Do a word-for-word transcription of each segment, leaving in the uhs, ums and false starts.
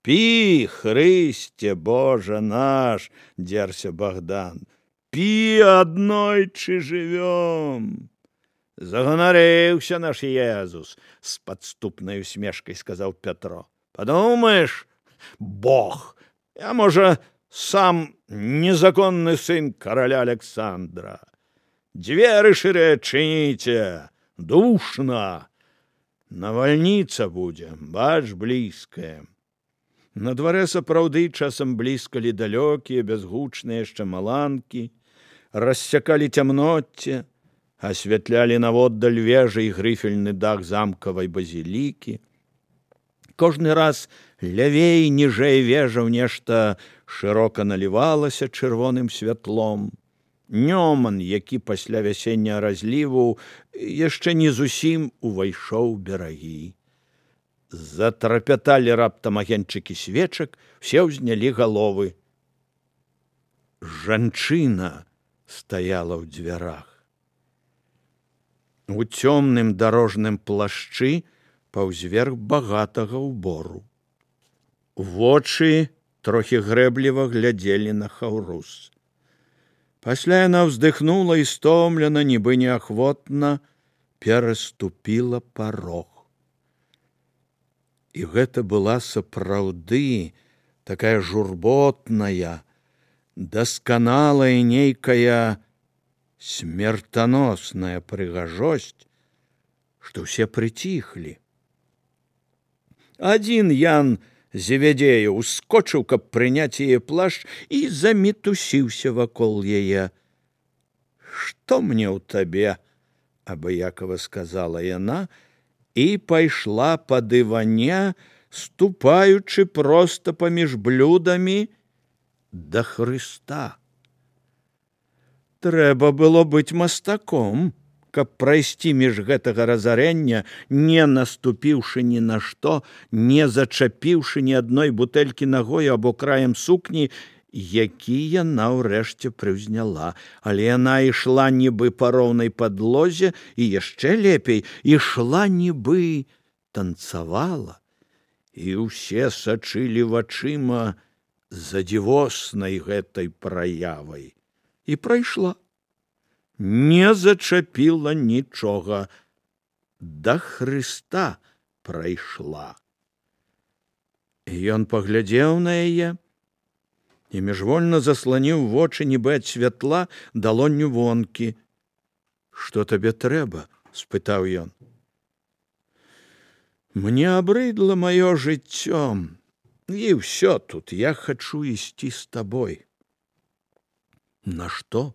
Пі, Хрысце, Божа наш, дзерся Богдан, пі, аднойчы жывём. Заганарыўся наш Езус, з падступнай усмешкай сказаў Пятро. Падумаеш, Бог, я, можа, сам незаконны сын караля Александра. Дзверы шырыя чыніце, душна. Навальніца будзе, бач, блізкая. На дварэ сапраўды часам бліскалі далёкія, бязгучныя яшчэ маланкі, рассякалі цямноцце, асвятлялі наводдаль вежы і грыфельны дах замкавай базілікі. Кожны раз лявей, ніжэй вежаў нешта шырока налівалася чырвоным святлом. Нёман, які пасля вясенняга разліву яшчэ не зусім увайшоў берагі. Затрапяталі раптам агеньчыкі свечак, все ўзнялі галовы. Жанчына стаяла ў дзвярах. У цёмным дарожным плашчы паўзверх багатага ўбору. Вочы трохі грэбліва глядзелі на Хаўрус. Пасля яна ўздыхнула і стомлена, нібы неахвотна, пераступіла парог. І гэта была сапраўды такая журботная, дасканалая нейкая смертоносная прыгажосць, што ўсе прыціхлі. Адзін Ян Зеведзей ускочыў, каб прыняць яе плашч, і замітусіўся вакол яе. «Што мне ў табе?» — абыякава сказала яна, і пайшла па дыване, ступаючы проста паміж блюдамі да Хрыста. Трэба было быць мастаком, каб прайсці між гэтага разарення, не наступіўшы ні на што, не зачапіўшы ні адной бутэлькі нагою або краем сукні, які яна ўрэшце прыўзняла. Але яна ішла нібы па роўнай падлозе і яшчэ лепей, ішла нібы танцавала, і ўсе сачылі вачыма за дзівоснай гэтай праявай. І прайшла. Не зачапіла нічога. Да Хрыста прайшла. Ён паглядзеў на яе і міжвольна засланіў вочы, нібы ад святла, далонню вонкі. «Што табе трэба?» — спытаў ён. «Мне абрыдла маё жыццё, і ўсё тут, я хачу ісці з табой». «На што?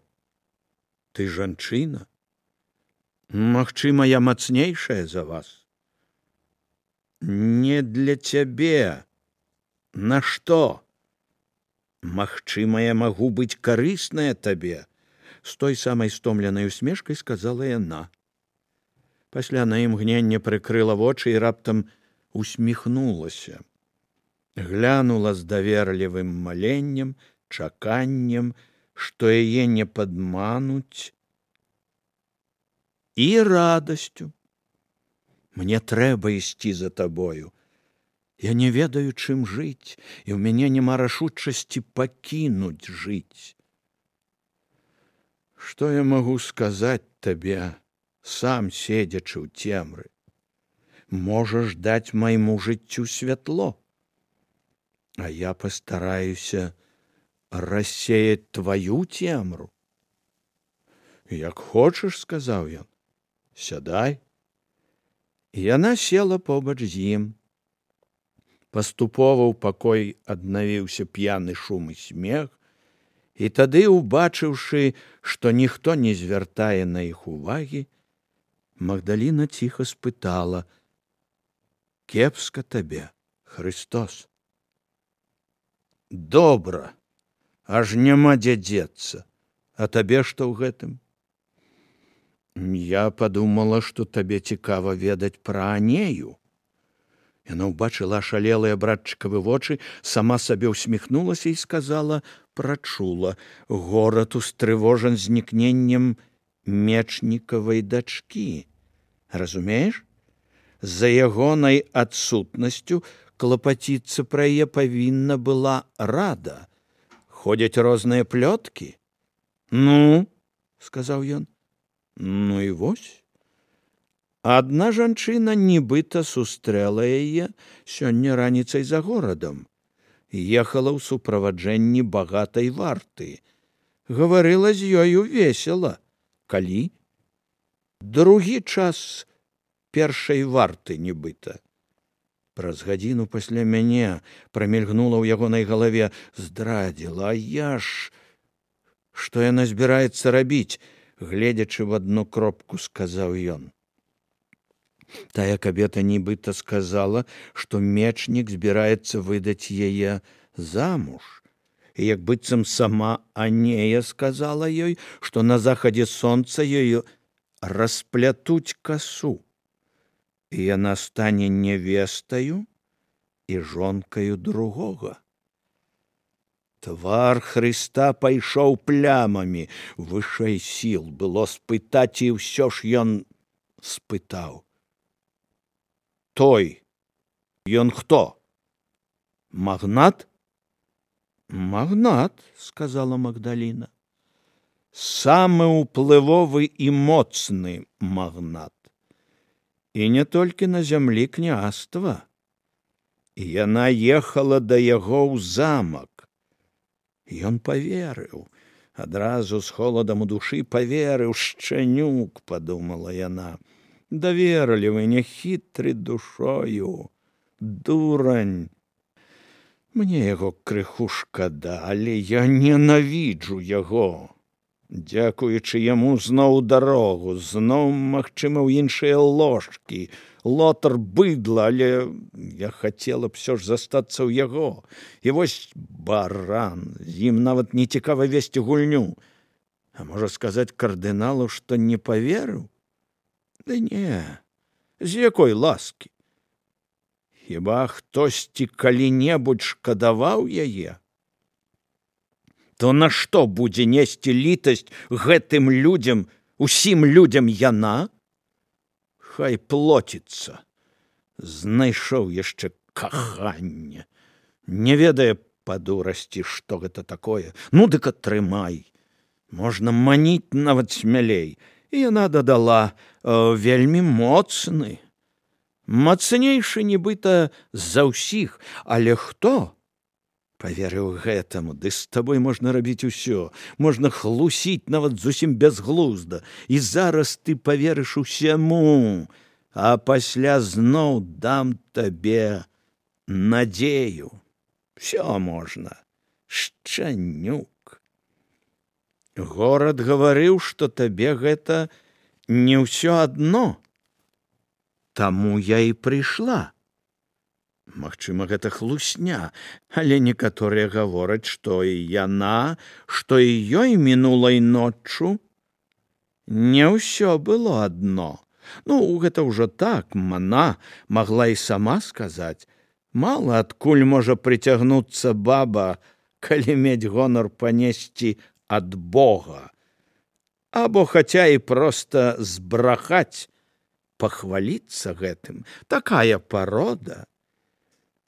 Ты жанчына? Магчыма, я мацнейшая за вас?» «Не для цябе. На што? Магчыма, я магу быць карысная табе», — з той самай стомленай усмешкай сказала яна. Пасля на імгненне прыкрыла вочы і раптам усміхнулася. Глянула з даверлівым маленнем, чаканнем, што яе не падмануць, і радасцю. «Мне трэба ісці за табою. Я не ведаю, чым жыць, і ў мяне няма рашучасці пакінуць жыць. Што я магу сказаць табе, сам седзячы ў цемры? Можаш даць майму жыццю святло, а я пастараюся рассеяць тваю цемру». «Як хочаш», — сказаў ён, — «сядай». Яна села побач з ім. Паступова ў пакой аднавіўся п'яны шум і смех, і тады, убачыўшы, што ніхто не звяртае на іх увагі, Магдаліна ціха спытала: «Кепска табе, Хрыстос?» «Добра, аж няма дзе дзецца. А табе што ў гэтым?» «Я падумала, што табе цікава ведаць пра Анею». Яна ўбачыла ашалелыя братчыкавы вочы, сама сабе ўсміхнулася і сказала, прачула: «Горад устрывожан знікненнем мечнікавай дачкі. Разумееш? За ягонай адсутнасцю клапаціцца пра яе павінна была рада. Ходзяць розныя плёткі. Ну, сказаў ён. Ну і вось. Адна жанчына нібыта сустрэла яе сёння раніцай за горадам. Ехала ў суправаджэнні багатай варты. Гаварыла з ёю весела. Калі? Другі час першай варты нібыта. Праз гадзіну пасля мяне прамільгнула ў ягонай галаве. Здрадзіла, а я ж... Што яна збіраецца рабіць? Гледзячы в адну кропку, сказаў ён. Тая кабета нібыта сказала, што мечнік збіраецца выдаць яе замуж. І як быццам сама Анея сказала ёй, што на захадзе сонца ёю расплятуць касу. І яна стане невестаю і жонкаю другога. Твар Хрыста пайшоў плямамі. Вышэй сіл было спытаць, і ўсё ж ён спытаў. Той, ён хто? Магнат? Магнат, сказала Магдаліна. Самы ўплывовы і моцны магнат. І не толькі на зямлі княства. Яна ехала да яго ў замак. Ён паверыў. Адразу з холадам у душы паверыў. Шчанюк, падумала яна. Даверлівы, няхітры душою. Дурань. Мне яго крыху шкада, але я ненавіджу яго. Дзякуючы яму зноў дарогу, зноў, магчыма, ў іншыя ложкі. Лотар быдла, але я хацела б всё ж застацца ў яго. І вось баран, з ім нават не цікава весці гульню. А можа сказаць кардыналу, што не паверыў? Да не, з якой ласкі? Хіба хтосьці калі-небудзь шкадаваў яе? То на што будзе несці літасць гэтым людзям, усім людзям яна? Хай плоціцца. Знайшоў яшчэ каханне. Не ведае па дурасці, што гэта такое. Ну, дык атрымай. Можна маніць нават смялей. І яна дадала, вельмі моцны. Мацнейшы нібыта за ўсіх. Але хто? Паверыў гэтаму, ды з табой можна рабіць усё. Можна хлусіць нават зусім бязглузда. І зараз ты паверыш усяму, а пасля зноў дам табе надзею. Всё можна. Шчанюк. Горад гаварыў, што табе гэта не ўсё адно. Таму я і прыйшла. Магчыма, гэта хлусня, але некаторыя гавораць, што і яна, што і ёй мінулай ноччу не ўсё было адно. Ну, гэта ўжо так, мана магла і сама сказаць. Мала адкуль можа прыцягнуцца баба, калі мець гонар панесці ад Бога. Або хаця і проста збрахаць, пахваліцца гэтым. Такая парода.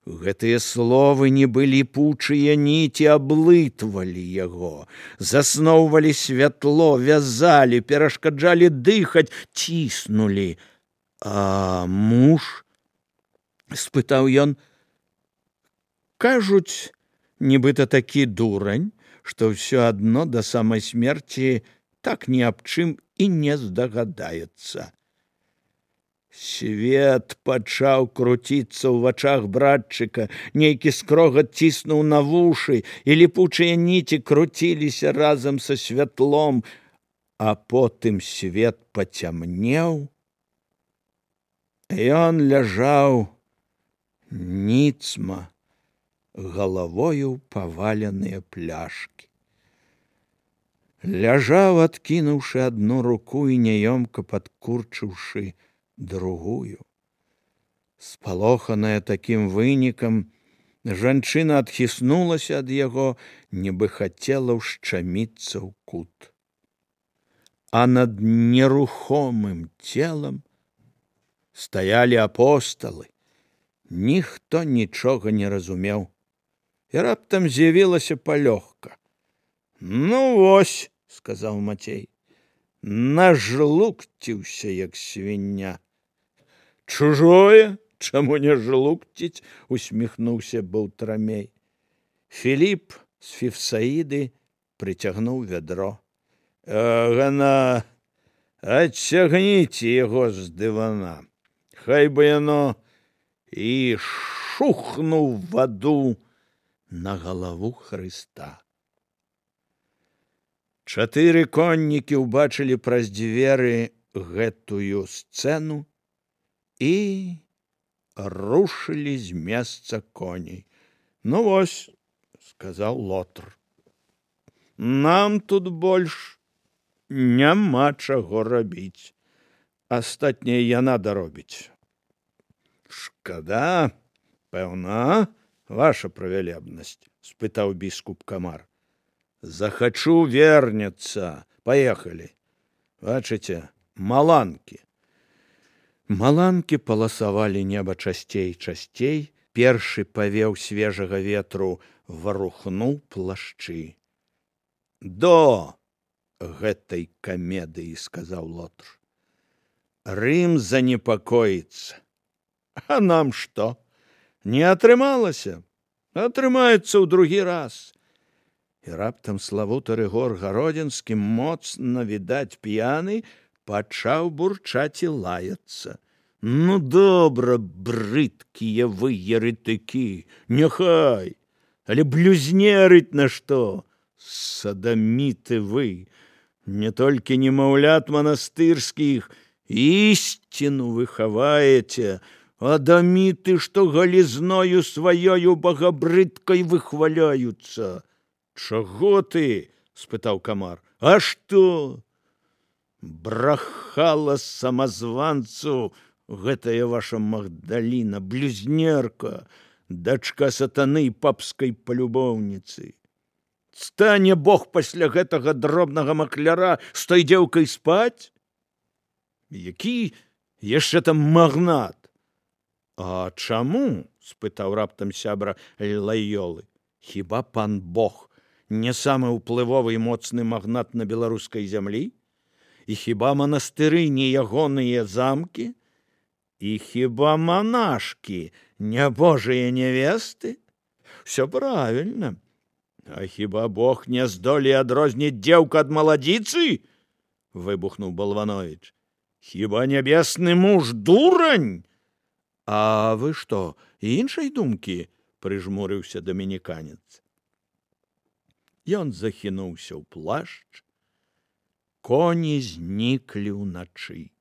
Гэтыя словы нібы ліпучыя ніці аблытвалі яго, засноўвалі святло, вязалі, перашкаджалі дыхаць, ціснулі. А муж? Спытаў ён. Кажуць, нібыта такі дурань, што ўсё адно да самай смерці так ні аб чым і не здагадаецца. Свет пачаў круціцца ў вачах братчыка, нейкі скрогат ціснуў на вушы, і ліпучыя ніці круціліся разам са святлом, а потым свет пацямнеў. Ён ляжаў ніцма, галавою паваленыя пляшкі. Ляжаў, адкінуўшы адну руку і няёмка падкурчыўшы другую. Спалоханая такім вынікам, жанчына адхіснулася ад яго, нібы хацела ўшчаміцца ў кут. А над нерухомым целам стаялі апосталы, Ніхто нічога не разумеў. І раптам з'явілася палёгка. Ну вось, сказаў Мацей, нажлукціўся, як свіння. Чужое, чаму не жлукціць, усміхнуўся Баўтрамей. Філіп з Фіфсаіды прыцягнуў вядро. Гана, адцягніце яго з дывана. Хай бы яно і шухнуў ваду на галаву Хрыста. Чатыры коннікі ўбачылі праз дзверы гэтую сцэну і рушылі з месца коней. Ну вось, сказаў Лотр, нам тут больш няма чаго рабіць. Астатняе яна даробіць. Шкада, пэўна, ваша правялебнасць, спытаў біскуп Камар. Захачу вернецца. Паехалі. Бачыце, маланкі. Маланкі паласавалі неба часцей часцей. Першы павеў свежага ветру варухнуў плашчы. До гэтай камедыі, сказаў Лотр. Рым занепакоіцца. А нам што? Не атрымалася? Атрымаецца ў другі раз. І раптам славуты Рыгор Гародзінскі, моцна, відаць, п'яны, пачаў бурчаць і лаяцца. Ну, добра, брыдкія вы еретыкі, няхай, але блюзнерыць на што? Садаміты вы, не толькі немаўлят манастырскіх, ісціну вы хаваеце, адаміты, што галізною сваёю багабрыдкай выхваляюцца. Чаго ты? Спытаў Камар. А што? Брахала самазванцу гэтая ваша Магдаліна, блюзнерка, дачка сатаны і папскай палюбоўніцы. Стане Бог пасля гэтага дробнага макляра з той дзеўкай спаць? Які яшчэ там магнат? А чаму? Спытаў раптам сябра Лайолы. Хіба пан Бог не самы ўплывовы і моцны магнат на беларускай зямлі? І хіба манастыры не ягоныя замкі? І хіба манашкі не божыя нявесты? Всё правільна. А хіба Бог не здолее адрозніць дзеўка ад маладзіцы? Выбухнуў Балванович. Хіба нябесны муж дурань? А вы што, іншай думкі? Прыжмурыўся дамініканец. Ён захінуўся ў плашч, коні зніклі ўначы.